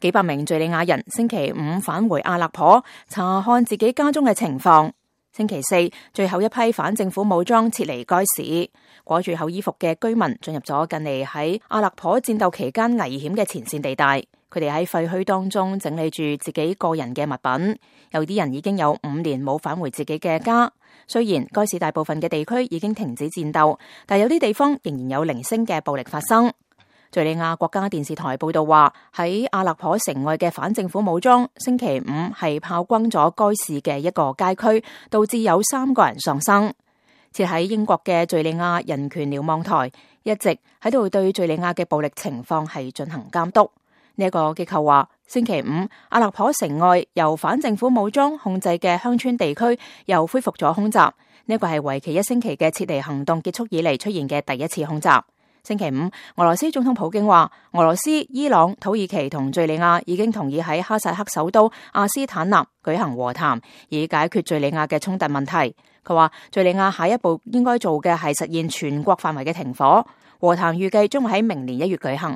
幾百名敘利亞人星期五返回阿勒頗，查看自己家中嘅情況。星期四，最後一批反政府武裝撤離該市，裹住厚衣服嘅居民進入咗近嚟喺阿勒頗戰鬥期間危險嘅前線地帶。佢哋喺廢墟當中整理住自己個人嘅物品，有啲人已經有5年冇返回自己嘅家。雖然該市大部分嘅地區已經停止戰鬥，但有啲地方仍然有零星嘅暴力發生。敘利亞國家電視台報道話，喺阿勒頗城外嘅反政府武裝星期五係炮轟咗該市嘅一個街區，導致有3個人喪生。設喺英國嘅敘利亞人權瞭望台一直喺度對敘利亞嘅暴力情況係進行監督。呢個機構話，星期五阿勒頗城外由反政府武裝控制嘅鄉村地區又恢復咗空襲。呢個係為期1星期嘅撤離行動結束以嚟出現嘅第一次空襲。星期五，俄羅斯總統普京話，俄羅斯、伊朗、土耳其同敘利亞已經同意喺哈薩克首都阿斯坦納舉行和談，以解決敘利亞嘅衝突問題。佢話，敘利亞下一步應該做嘅係實現全國範圍嘅停火。和談預計將會喺明年1月舉行。